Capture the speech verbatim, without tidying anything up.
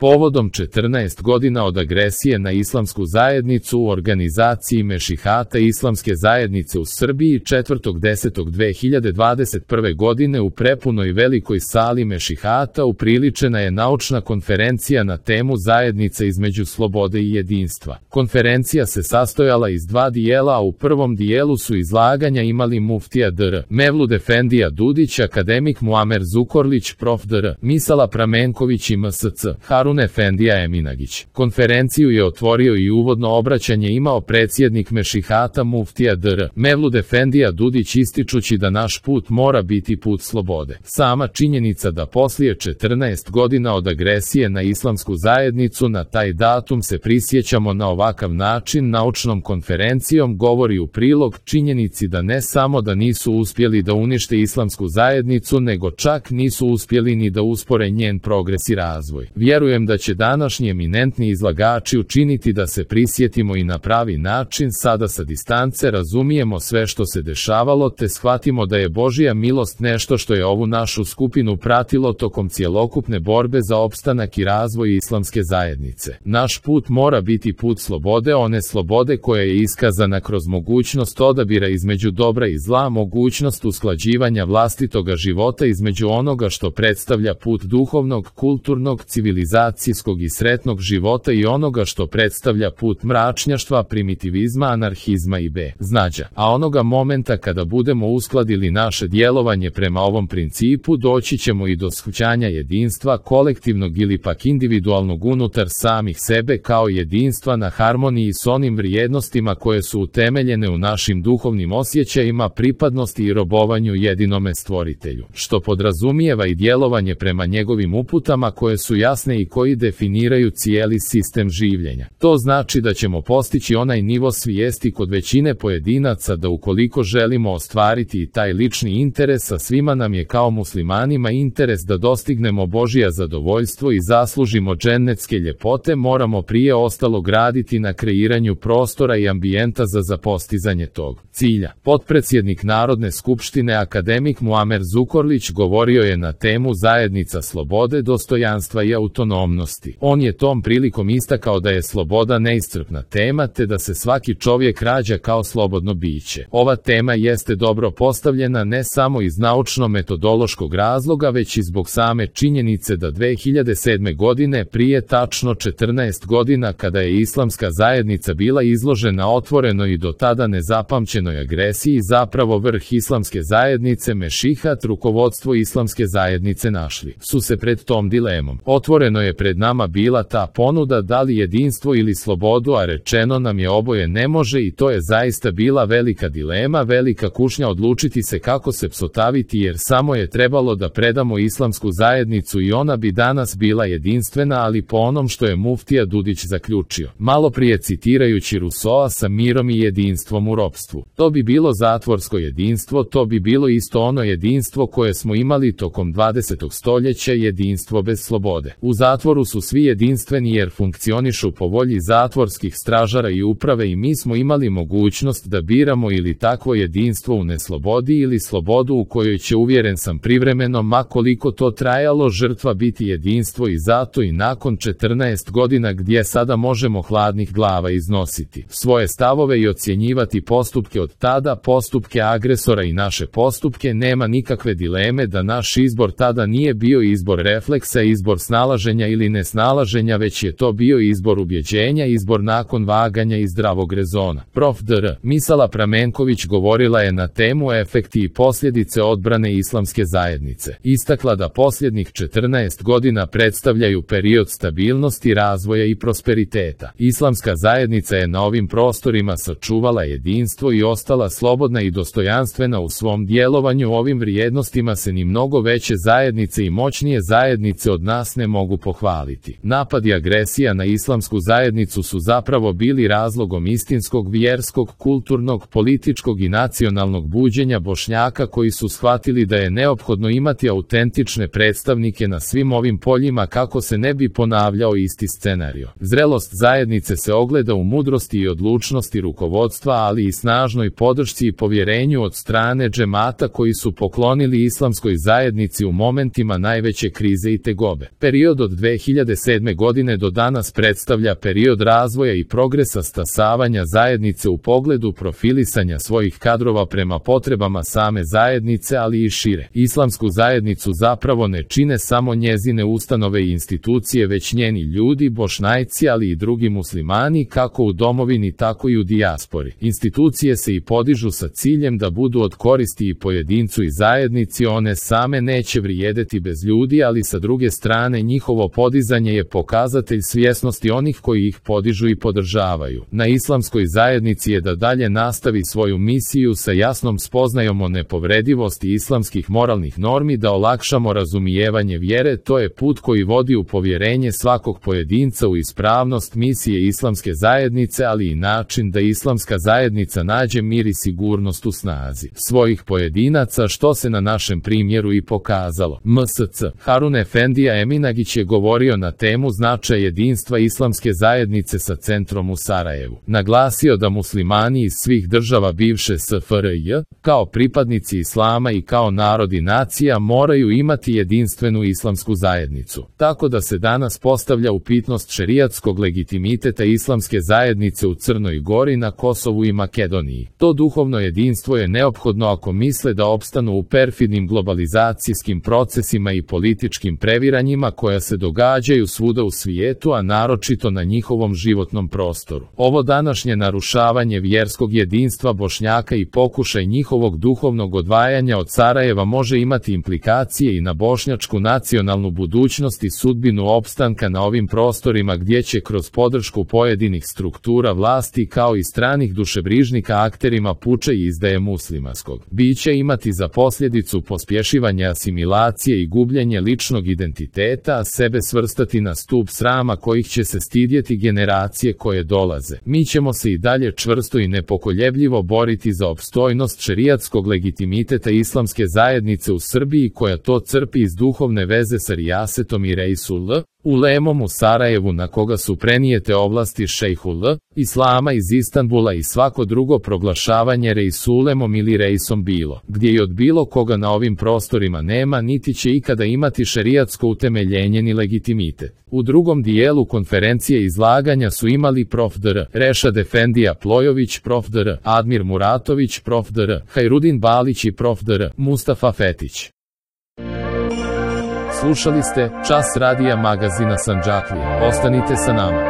Povodom četrnaest godina od agresije na islamsku zajednicu u organizaciji Mešihata Islamske zajednice u Srbiji četvrtog desetog dve hiljade dvadeset prve. godine u prepunoj velikoj sali Mešihata upriličena je naučna konferencija na temu Zajednica između slobode i jedinstva. Konferencija se sastojala iz dva dijela, a u prvom dijelu su izlaganja imali muftija dr. Mevlud Efendija Dudić, akademik Muamer Zukorlić, prof. dr. Misala Pramenković i M S C. Harun Efendija Eminagić. Konferenciju je otvorio i uvodno obraćanje imao predsjednik Mešihata muftija dr. Mevlud Efendija Dudić, ističući da naš put mora biti put slobode. Sama činjenica da poslije četrnaest godina od agresije na islamsku zajednicu na taj datum se prisjećamo na ovakav način naučnom konferencijom govori u prilog činjenici da ne samo da nisu uspjeli da unište islamsku zajednicu, nego čak nisu uspjeli ni da uspore njen progres i razvoj. Vjerujem da će današnji eminentni izlagači učiniti da se prisjetimo i na pravi način, sada sa distance razumijemo sve što se dešavalo te shvatimo da je Božja milost nešto što je ovu našu skupinu pratilo tokom cjelokupne borbe za opstanak i razvoj islamske zajednice. Naš put mora biti put slobode, one slobode koja je iskazana kroz mogućnost odabira između dobra i zla, mogućnost usklađivanja vlastitoga života između onoga što predstavlja put duhovnog, kulturnog, civilizacijskog i sretnog života i onoga što predstavlja put mračnjaštva, primitivizma, anarhizma i beznađa. A onoga momenta kada budemo uskladili naše djelovanje prema ovom principu, doći ćemo i do shvaćanja jedinstva kolektivnog ili pak individualnog unutar samih sebe kao jedinstva na harmoniji s onim vrijednostima koje su utemeljene u našim duhovnim osjećajima, pripadnosti i robovanju jedinome stvoritelju, što podrazumijeva i djelovanje prema njegovim uputama koje su jasne i koji definiraju cijeli sistem življenja. To znači da ćemo postići onaj nivo svijesti kod većine pojedinaca da ukoliko želimo ostvariti i taj lični interes, a svima nam je kao muslimanima interes da dostignemo Božja zadovoljstvo i zaslužimo džennetske ljepote, moramo prije ostalo graditi na kreiranju prostora i ambijenta za za postizanje tog cilja. Potpredsjednik Narodne skupštine akademik Muamer Zukorlić govorio je na temu Zajednica slobode, dostojanstva i autonomnosti. On je tom prilikom istakao da je sloboda neiscrpna tema te da se svaki čovjek rađa kao slobodno biće. Ova tema jeste dobro postavljena ne samo iz naučno-metodološkog razloga, već i zbog same činjenice da dve hiljade sedme. godine, prije tačno četrnaest godina, kada je islamska zajednica bila izložena otvorenoj i do tada nezapamćenoj agresiji, zapravo vrh islamske zajednice, Mešihat, rukovodstvo islamske zajednice našli su se pred tom dilemom. Otvoreno je pred nama bila ta ponuda da li jedinstvo ili slobodu, a rečeno nam je oboje ne može i to je zaista bila velika dilema, velika kušnja odlučiti se kako se psotaviti, jer samo je trebalo da predamo islamsku zajednicu i ona bi danas bila jedinstvena, ali po onom što je muftija Dudić zaključio, malo prije citirajući Rusoa, sa mirom i jedinstvom u ropstvu. To bi bilo zatvorsko jedinstvo, to bi bilo isto ono jedinstvo koje smo imali tokom dvadesetog stoljeća, jedinstvo bez slobode. U zatvoru su svi jedinstveni jer funkcionišu po volji zatvorskih stražara i uprave i mi smo imali mogućnost da biramo ili takvo jedinstvo u neslobodi ili slobodu u kojoj će, uvjeren sam, privremeno, ma koliko to trajalo, žrtva biti jedinstvo i zato i nakon četrnaest godina gdje sada možemo hladnih glava iznositi svoje stavove i ocjenjivati postupke od tada, postupke agresora i naše postupke, nema nikakve dileme da naš izbor tada nije bio izbor refleksa, izbor snalaženja ili nesnalaženja, već je to bio izbor ubjeđenja, izbor nakon vaganja i zdravog rezona. Prof. dr. Misala Pramenković govorila je na temu efekti i posljedice odbrane islamske zajednice. Istakla da posljednjih četrnaest godina predstavljaju period stabilnosti, razvoja i prosperiteta. Islamska zajednica je na ovim prostorima sačuvala jedinstvo i ostala slobodna i dostojanstvena u svom djelovanju. Ovim vrijednostima se ni mnogo veće zajednice i moćnije zajednice od nas ne mogu pohvaliti. Napad i agresija na islamsku zajednicu su zapravo bili razlogom istinskog vjerskog, kulturnog, političkog i nacionalnog buđenja Bošnjaka koji su shvatili da je neophodno imati autentične predstavnike na svim ovim poljima kako se ne bi ponavljao isti scenario. Zrelost zajednice se ogleda u mudrosti i odlučnosti rukovodstva, ali i snažnoj podršci i povjerenju od strane džemata koji su poklonili islamskoj zajednici u momentima najveće krize i tegobe. Period od dve dve hiljade sedme. godine do danas predstavlja period razvoja i progresa stasavanja zajednice u pogledu profilisanja svojih kadrova prema potrebama same zajednice, ali i šire. Islamsku zajednicu zapravo ne čine samo njezine ustanove i institucije, već njeni ljudi, Bošnjajci, ali i drugi muslimani, kako u domovini tako i u dijaspori. Institucije se i podižu sa ciljem da budu od koristi i pojedincu i zajednici, one same neće vrijedeti bez ljudi, ali sa druge strane njihovo podizanje je pokazatelj svjesnosti onih koji ih podižu i podržavaju. Na islamskoj zajednici je da dalje nastavi svoju misiju sa jasnom spoznajom o nepovredivosti islamskih moralnih normi, da olakšamo razumijevanje vjere. To je put koji vodi u povjerenje svakog pojedinca u ispravnost misije islamske zajednice, ali i način da islamska zajednica nađe mir i sigurnost u snazi svojih pojedinaca, što se na našem primjeru i pokazalo. M S C Harun Efendija Eminagić je govorio na temu značaj jedinstva islamske zajednice sa centrom u Sarajevu. Naglasio da muslimani iz svih država bivše S F R J, kao pripadnici islama i kao narod i nacija, moraju imati jedinstvenu islamsku zajednicu. Tako da se danas postavlja upitnost šerijatskog legitimiteta islamske zajednice u Crnoj Gori, na Kosovu i Makedoniji. To duhovno jedinstvo je neophodno ako misle da opstanu u perfidnim globalizacijskim procesima i političkim previranjima koja se događaju svuda u svijetu, a naročito na njihovom životnom prostoru. Ovo današnje narušavanje vjerskog jedinstva Bošnjaka i pokušaj njihovog duhovnog odvajanja od Sarajeva može imati implikacije i na bošnjačku nacionalnu budućnost i sudbinu opstanka na ovim prostorima, gdje će kroz podršku pojedinih struktura vlasti kao i stranih dušebrižnika akterima puče i izdaje muslimanskog bića imati za posljedicu pospješivanje asimilacije i gubljenje ličnog identiteta, a sebe svrstati na stup srama kojih će se stidjeti generacije koje dolaze. Mi ćemo se i dalje čvrsto i nepokoljebljivo boriti za opstojnost šerijatskog legitimiteta islamske zajednice u Srbiji, koja to crpi iz duhovne veze sa rijasetom i Reisul Ulemom u Sarajevu, na koga su prenijete ovlasti šejhul Islama iz Istanbula, i svako drugo proglašavanje Reisulemom ili Reisom bilo gdje i od bilo koga na ovim prostorima nema niti će ikada imati šerijatsko utemeljenje ni legitimitet. U drugom dijelu konferencije izlaganja su imali prof. dr. Rešad Efendija Plojović, prof. dr. Admir Muratović, prof. dr. Hajrudin Balić i prof. dr. Mustafa Fetić. Slušali ste Čas radija magazina Sandžaklija. Ostanite sa nama.